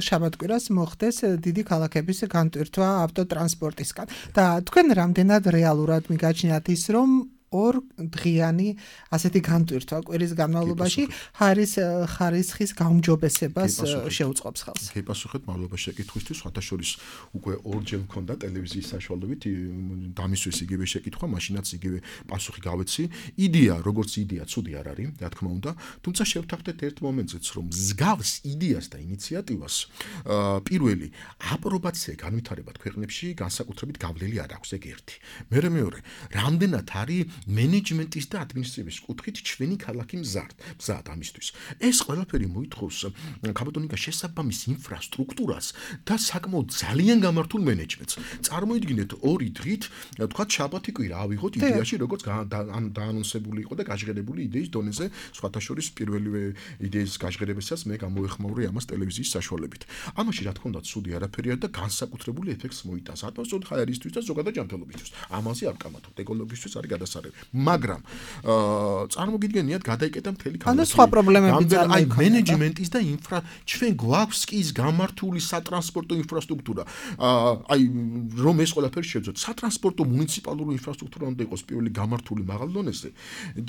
შაბათ-კვირას მოხდეს დიდი ქალაქების განტვირთვა ავტოტრანსპორტისგან. და თქვენ რამდენად რეალურად მიგაჩნიათ ის, რომ ორ დღიანი ასეთი განტვირთვა კვირის განმავლობაში ხარისხის გაუმჯობესებას შეუწყობს ხელს. გეპასუხეთ მადლობა შეკითხვისთვის, სხვათაშორის უკვე ორჯერ მქონდა ტელევიზიის საშუალებით დამისვეს იგივე შეკითხვა, მაშინაც იგივე პასუხი გავეცი. იდეა, როგორც იდეა, ცუდი არ არის, რა თქმა უნდა, თუმცა შევთანხმდეთ ერთ მომენტზეც, რომ მსგავს იდეას და ინიციატივას პირველი აპრობაცია განვითარებად ქვეყნებში განსაკუთრებით გავლილი არ აქვს, ეგ ერთი. მეორე, რამდენად არის მენეჯმენტის და ადმინისტრაციის კუთხით ჩვენი ქალაქი მზად ამისთვის. ეს ყველაფერი მოითხოვს კაბატონიკა შესაბამის ინფრასტრუქტურას და საკმაოდ ძალიან გამართულ მენეჯმენტს. წარმოიდგინეთ ორი დღით, თქვათ შაბათი კვირა ავიღოთ იდეაში, როგორც დაანონსებული იყო და გაჟღერებული იდეის დონეზე, სხვათაშორის პირველივე იდეის გაჟღერებასაც მე გამოეხმაურე ამას ტელევიზიის საშუალებით. ამაში რა თქმა უნდა ცუდი არაფერია და განსაკუთრებული ეფექტს მოიტანს ატმოსფეროს ჰაერისთვის და ზოგადად ჯანმრთელობისთვის. ამაზე არ ვკამათობთ, ეკოლოგიისთვის არის გადასარევი. მაგრამ წარმოგიდგენიათ გადაიკეტა მთელი ქალაქი. ანუ სხვა პრობლემები წარმოიქმნება. აი მენეჯმენტის და ჩვენ გვაქვს კი ის გამართული სატრანსპორტო ინფრასტრუქტურა. აი რომ ეს ყველაფერი შევძოთ, სატრანსპორტო მუნიციპალური ინფრასტრუქტურა უნდა იყოს პირველი გამართული მაღალ დონეზე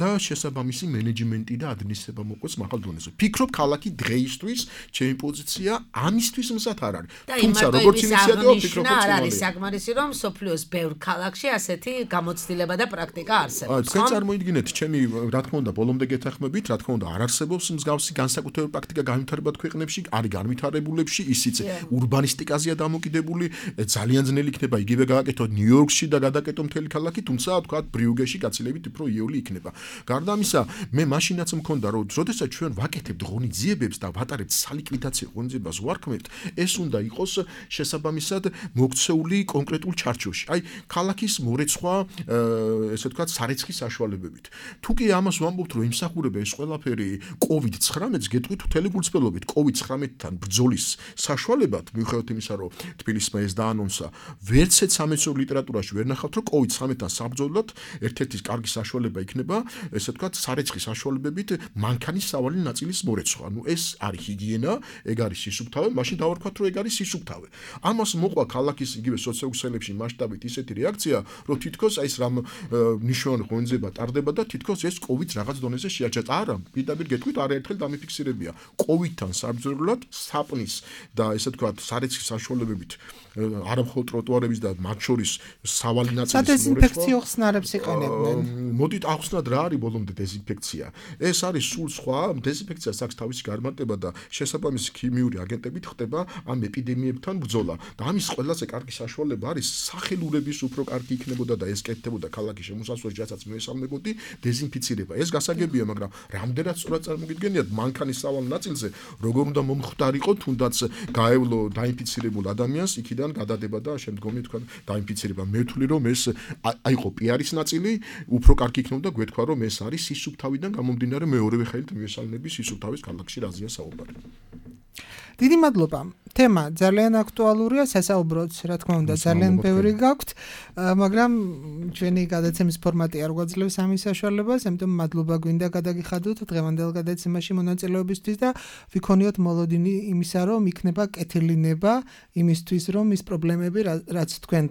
და შესაბამისი მენეჯმენტი და ადმინისტრება მოყვეს მაღალ დონეზე. ფიქრობ ქალაქი დღეისთვის ჩემი პოზიცია ამისთვის მზად არ არის. თუმცა როგორც ინიციატივა ფიქრობ არ არის საკმარისი რომ სოფლიოს ბევრ ქალაქში ასეთი გამოცდილება და პრაქტიკა არსებობს. თქვენ წარმოიდგინეთ ჩემი რა თქმა უნდა ბოლომდე გეთანხმებით, რა თქმა უნდა არ არსებობს მსგავსი განსაკუთრებული პრაქტიკა განვითარებად ქვეყნებში, არის განვითარებულებში, ისიც ურბანისტიკაზეა დამოკიდებული, ძალიან ძნელი იქნება იგივე გააკეთოთ ნიუ-იორკში და გადაკეთო მთელი ქალაქი, თუმცა თქვა ბრიუგეში გაცილებით უფრო იეული იქნება. გარდა ამისა, მე მაშინაც მქონდა რომ როდესაც ჩვენ ვაკეთებთ ღონისძიებებს და ვატარებთ სალიკვიდაციო ღონისძიებას ვარქმევთ, ეს უნდა იყოს შესაბამისად მოქცეული კონკრეტულ ჩარჩოში. აი ქალაქის მორეცხვა, ესე ვთქვათ, სარეცხი საშუალებებით. თუ კი ამას ვამბობთ, რომ იმსახურება ეს ყველაფერი COVID-19-ს გეტყვით მთელი გულწრფელობით COVID-19-თან ბრძოლის საშუალებად, მიუხედავად იმისა, რომ თბილისმა ეს დაანონსა, ვერცეთ სამეცნიერო ლიტერატურაში ვერ ნახავთ, რომ COVID-19-თან საბრძოლოდ ერთ-ერთი კარგი საშუალება იქნება, ესე ვთქვათ, სარეცხი საშუალებებით მანქანის სავალი ნაწილის მორეცხვა. ნუ ეს არის ჰიგიენა, ეგ არის სისუფთავე, მაშინ დავარქვათ, რომ ეგ არის სისუფთავე. ამას მოყვა ქალაქის იგივე სოციოექსელებში მასშტაბით ისეთი რეაქცია, რომ თითქოს აი ეს რამ ნიშნავენ ღონისძიება ტარდება და თითქოს ეს COVID რაღაც დონეზე შეაჩერდა. არა, პირდაპირ გეტყვით, არაერთხელ დამიფიქსირებია. COVID-თან საბრძოლოდ საპნის და ესე ვთქვათ, სარეცხი საშუალებებით არა მხოლოდ ტროტუარების და მათ შორის სავალი ნაწილის მორეცხვა. დეზინფექციო ხსნარებს იყენებდნენ. მოდით ახსნათ რა არის ბოლომდე დეზინფექცია. ეს არის სულ სხვა, დეზინფექციას აქვს თავისი გარემარტება და შესაბამისი ქიმიური აგენტებით ხდება ამ ეპიდემიებთან ბრძოლა. და ამის ყველაზე კარგი საშუალება არის სახელურების უფრო კარგი იქნებოდა და ეს კეთდებოდა ქალაქის შემოსასვლელში, რასაც მოესალმებოდი დეზინფიცირება. ეს გასაგებია, მაგრამ რამდენად სწორად წარმოგიდგენიათ მანქანის სავალ ნაწილზე როგორ უნდა მომხდარიყო თუნდაც გაევლო დაინფიცირებულ ადამიანს იქიდან გადადება და შემდგომი თქვა დაინფიცირება. მე ვთვლი რომ ეს აიყო პიარის ნაწილი, უფრო კარგი იქნებოდა გვეთქვა რომ ეს არის სისუფთავიდან გამომდინარე მეორევე ხელით მიესალმები სისუფთავის ქალაქში რაზეა საუბარი. დიდი მადლობა. თემა ძალიან აქტუალურია, სასაუბროც, რა თქმა უნდა, ძალიან ბევრი გაქვთ, მაგრამ ჩვენი გადაცემის ფორმატი არ გვაძლევს ამის საშუალებას, ამიტომ მადლობა გვინდა გადაგიხადოთ დღევანდელ გადაცემაში მონაწილეობისთვის და ვიქონიოთ მოლოდინი იმისა, რომ იქნება კეთილინება იმისთვის, რომ ის პრობლემები, რაც თქვენ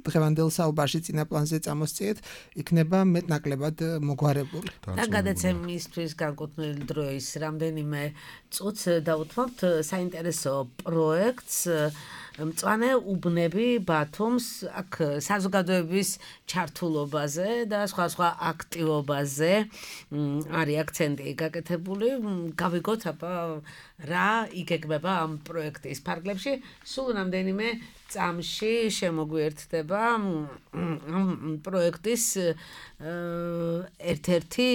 დღევანდელ საუბარში წინა პლანზე წამოსწიეთ, იქნება მეტნაკლებად მოგვარებული. და გადაცემისთვის განკუთვნილი დროის რამდენიმე წუთს დავუთმობთ საინტერესო პროექტს მწვანე უბნები ბათუმს, აქ საზოგადოების ჩართულობაზე და სხვა აქტივობაზე არის აქცენტი გაკეთებული. გავიგოთ აბა რა იგეგმება ამ პროექტის ფარგლებში. სულ რამდენიმე წამში შემოგვიერთდება ამ პროექტის ერთ-ერთი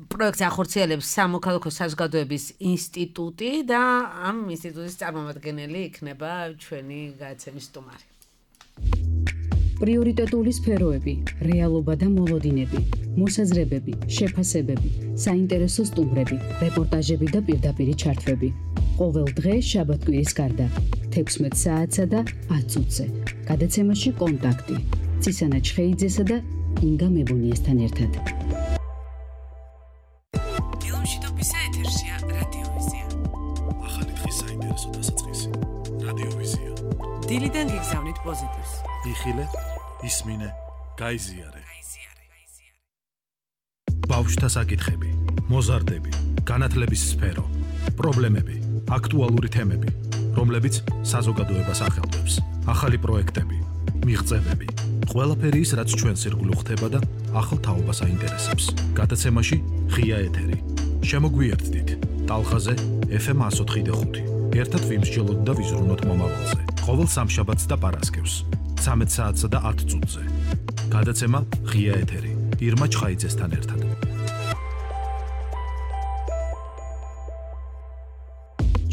პროექტს ახორციელებს სამოქალაქო საზოგადოების ინსტიტუტი და ამ ინსტიტუტის წარმომადგენელი იქნება ჩვენი გადაცემის სტუმარი. პრიორიტეტული სფეროები, რეალობა და მოლოდინები, მოსაზრებები, შეფასებები, საინტერესო სტუმრები, რეპორტაჟები და პირდაპირი ჩართვები. ყოველ დღე შაბათ-კვირის გარდა 16 საათსა და 10 წუთზე. გადაცემაში კონტაქტი ცისანა ჩხეიძესა და ინგა მებონიესთან ერთად. დილიდან გიგზავნით პოზიტივს. იხილე, ისმინე, გაიზიარე. ბავშვთა საკითხები, მოზარდები, განათლების სფერო, პრობლემები, აქტუალური თემები, რომლებიც საზოგადოებას ახელვებს, ახალი პროექტები, მიღწევები, ყველაფერი ის, რაც ჩვენს ირგვლივ ხდება და ახალ თაობას აინტერესებს. გადაცემაში ღია ეთერი. შემოგვიერთდით ტალხაზე FM 104.5. ერთად ვიმსჯელოთ და ვიზრუნოთ მომავალზე. ყოველ სამშაბათს და პარასკევს 13 საათსა და 10 წუთზე. გადაცემა ღია ეთერი ირმა ჩხაიძესთან ერთად.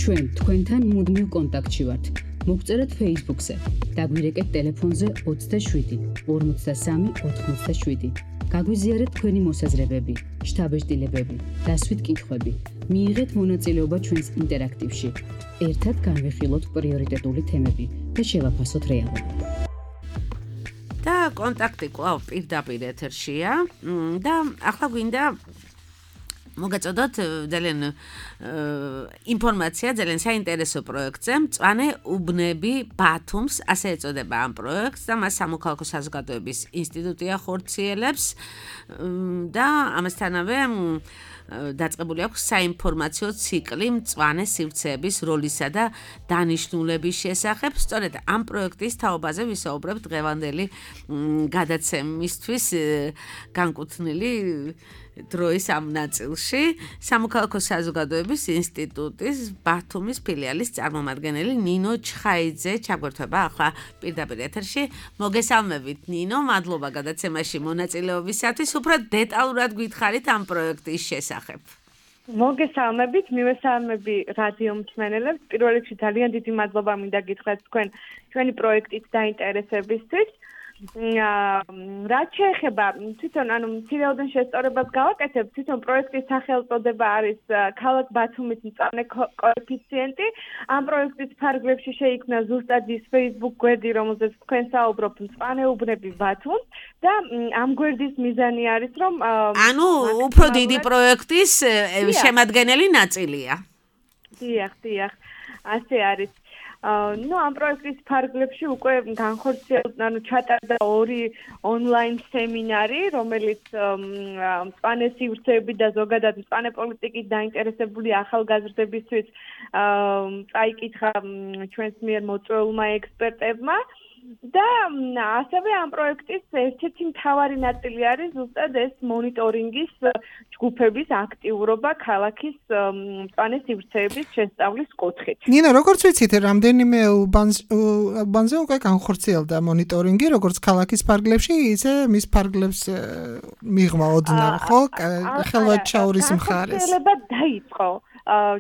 ჩვენ თქვენთან მუდმივ კონტაქტში ვართ. მოგწერეთ Facebook-ზე, დაგვირეკეთ ტელეფონზე 27 53 87. გაგვიზიარეთ თქვენი მოსაზრებები, შთაბეჭდილებები, დასვით კითხვები. მიიღეთ მონაწილეობა ჩვენს ინტერაქტივში. ერთად განვიხილოთ პრიორიტეტული თემები და შევაფასოთ რეალობა. და კონტაქტი კვლავ პირდაპირ ეთერშია და ახლა გვინდა მოგეწოდოთ ძალიან ინფორმაცია ძალიან საინტერესო პროექტზე მწვანე უბნები ბათუმს ასე ეწოდება ამ პროექტს და მას სამოქალაქო საზოგადოების ინსტიტუტი ახორციელებს და ამასთანავე დაწყებული აქვს საინფორმაციო ციკლი მწვანე სივრცეების როლისა და დანიშნულების შესახებ. სწორედ ამ პროექტის თაობაზე ვისაუბრებთ დღევანდელი გადაცემისთვის განკუთვნილი დროის ამ ნაწილში სამოქალაქო საზოგადოების ინსტიტუტის ბათუმის ფილიალის წარმომადგენელი ნინო ჩხაიძე ჩაგვერთვება ახლა პირდაპირ ეთერში. მოგესალმებით ნინო, მადლობა გადაცემაში მონაწილეობისათვის. უფრო დეტალურად გითხარით ამ პროექტის შესახებ. მოგესალმებით, მივესალმები რადიო მსმენელებს. პირველ რიგში ძალიან დიდი მადლობა მინდა გითხრათ თქვენი პროექტით დაინტერესებისთვის. რაც შეეხება თვითონ მცირეოდენ შესწორებას გავაკეთებ, თვითონ პროექტის სახელწოდება არის ქალაქ ბათუმის მწვანე კოეფიციენტი. ამ პროექტის ფარგლებში შეიქმნა ზუსტად ის Facebook გვერდი, რომელზეც თქვენ საუბრობთ მწვანე უბნები ბათუმს და ამ გვერდის მიზანი არის, რომ უფრო დიდი პროექტის შემადგენელი ნაწილია. დიახ, ასე არის. ამ პროექტის ფარგლებში უკვე განხორციელდა, ჩატარდა 2 ონლაინ სემინარი, რომელიც მწვანე სივრცეები და ზოგადად მწვანე პოლიტიკით დაინტერესებული ახალგაზრდებისთვის წაიკითხა ჩვენს მიერ მოწვეულმა ექსპერტებმა. და ასევე ამ პროექტის ერთ-ერთი მთავარი ნაწილი არის ზუსტად ეს მონიტორინგის ჯგუფების აქტიურობა ქალაქის მწვანე სივრცეების შესწავლის კუთხით. ნინო, როგორც ვიცით, რამდენიმე უბანზე უკვე განხორციელდა მონიტორინგი, როგორც ქალაქის ფარგლებში, ისე მის ფარგლებს მიღმა ოდნავ, ხო? ხელვაჩაურის მხარეს. განხორციელება დაიწყო.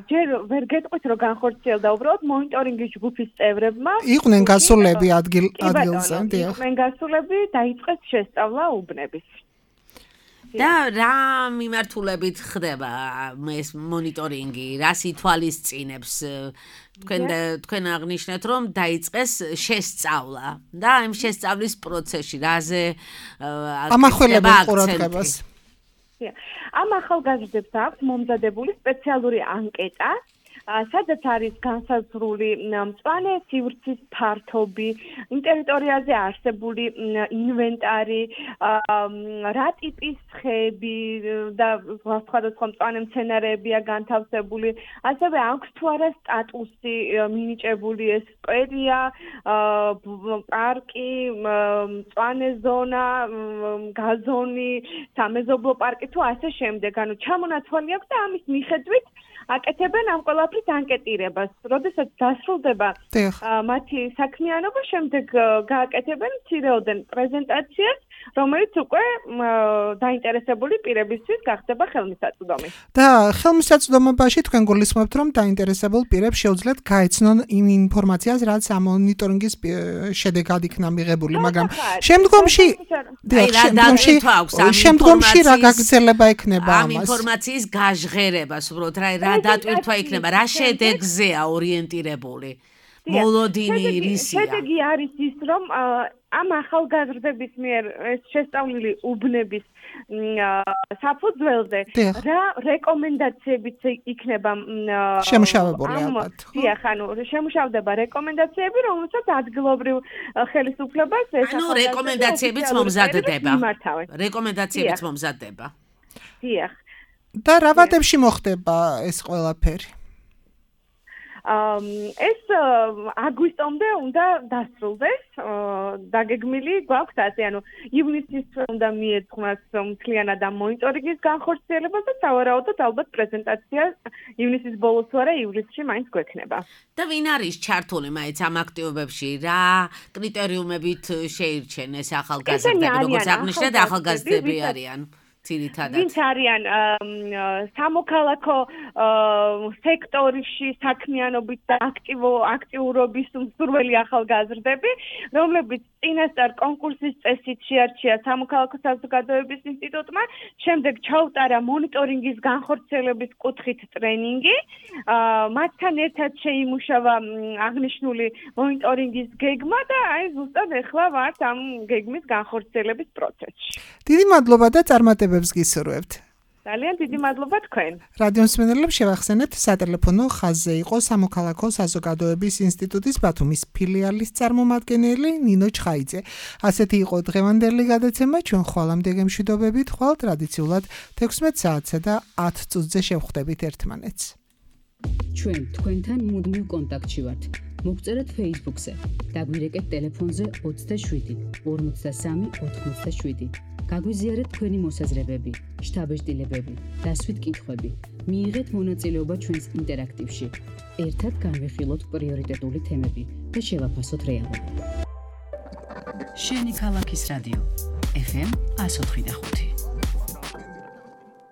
ჯერ ვერ გეტყვით, რომ განხორციელდა, უბრალოდ მონიტორინგის ჯგუფის წევრებმა იყვნენ გასულები ადგილზე, დიახ. იყვნენ გასულები, დაიწყეს შესწავლა უბნების. და რა მიმართულებით ხდება ეს მონიტორინგი, რას ითვალისწინებს? თქვენ აღნიშნეთ, რომ დაიწყეს შესწავლა და ამ შესწავლის პროცესში რაზე ამახვილებენ ყურადღებას? ამ ახალგაზრდებს აქვს მომზადებული სპეციალური ანკეტა, სადაც არის განსაზღვრული მწვანე სივრცის ფართობი, იმ ტერიტორიაზე არსებული ინვენტარი, რა ტიპის ხეები და სხვადასხვა მწვანე მცენარეებია განთავსებული, ასევე აქვს თუ არა სტატუსი მინიჭებული ეს სკვერია, პარკი, მწვანე ზონა, გაზონი, სამეზობლო პარკი თუ ასე შემდეგ. ჩამონაცვალი აქვს და ამის მიხედვით აკეთებენ ამ ყველაფრის ანკეტირებას. როდესაც დასრულდება მათი საქმიანობა, შემდეგ გააკეთებენ მცირეოდენ პრეზენტაციას, რომელიც უკვე დაინტერესებული პირებისთვის გახდება ხელმისაწვდომი. და ხელმისაწვდომობაში თქვენ გულისხმობთ, რომ დაინტერესებულ პირებს შეუძლიათ გაეცნონ იმ ინფორმაციას, რაც ამ მონიტორინგის შედეგად იქნა მიღებული, მაგრამ შემდგომში რა გაგრძელება ექნება ამას? ამ ინფორმაციის გაჟღერებას, უბრალოდ რა დატვირთვა იქნება, რა შედეგზეა ორიენტირებული? მოლოდინი რისია? შედეგი არის ის, რომ ამ ახალგაზრდების მიერ ეს შესწავლილი უბნების საფუძველზე რა რეკომენდაციებიც იქნება შემუშავებული ალბათ. დიახ, შემუშავდება რეკომენდაციები, რომელსაც ადგილობრივ ხელისუფლებას ეს რეკომენდაციებიც მომზადდება. რეკომენდაციებიც მომზადდება. დიახ. და რა ვადებში მოხდება ეს ყველაფერი? ეს აგვისტომდე უნდა დასრულდეს, დაგეგმილი გვაქვს ასე, ივნისის უნდა მიეძღვნას მთლიანად ამ მონიტორინგის განხორციელებას და სავარაუდოდ ალბათ პრეზენტაცია ივნისის ბოლოს თუ არა ივლისში მაინც გვექნება. და ვინ არის ჩართული მაინც ამ აქტივობებში? რა კრიტერიუმებით შეირჩენ ეს ახალგაზრდები, როგორც აღნიშნეთ, ახალგაზრდები არიან? ძირითადად? ვინც არიან სამოქალაქო სექტორში საქმიანობით და აქტიურობის მსურველი ახალგაზრდები, რომლებიც წინასწარ კონკურსის წესით შეარჩია სამოქალაქო საზოგადოების ინსტიტუტმა, შემდეგ ჩაუტარა მონიტორინგის განხორციელების კუთხით ტრენინგი, მათთან ერთად შეიმუშავა აღნიშნული მონიტორინგის გეგმა და აი ზუსტად ახლა ვართ ამ გეგმის განხორციელების პროცესში. დიდი მადლობა და წარმატებებს გისურვებთ. ძალიან დიდი მადლობა თქვენ. რადიო მსმენელებს შევახსენებთ, სატელეფონო ხაზზე იყო სამოქალაქო საზოგადოების ინსტიტუტის ბათუმის ფილიალის წარმომადგენელი ნინო ჩხაიძე. ასეთი იყო დღევანდელი გადაცემა, ჩვენ ხვალამდე გემშვიდობებით, ხვალ ტრადიციულად 16 საათსა და 10 წუთზე შევხვდებით ერთმანეთს. ჩვენ თქვენთან მუდმივ კონტაქტში ვართ. მოგწერეთ Facebook-ზე, დაგვირეკეთ ტელეფონზე 27 53 87. გაგვიზიარეთ თქვენი მოსაზრებები, შთაბეჭდილებები, დასვით კითხვები. მიიღეთ მონაწილეობა ჩვენს ინტერაქტივში. ერთად განვიხილოთ პრიორიტეტული თემები და შევაფასოთ რეალობა. შენი ქალაქის რადიო FM 104.5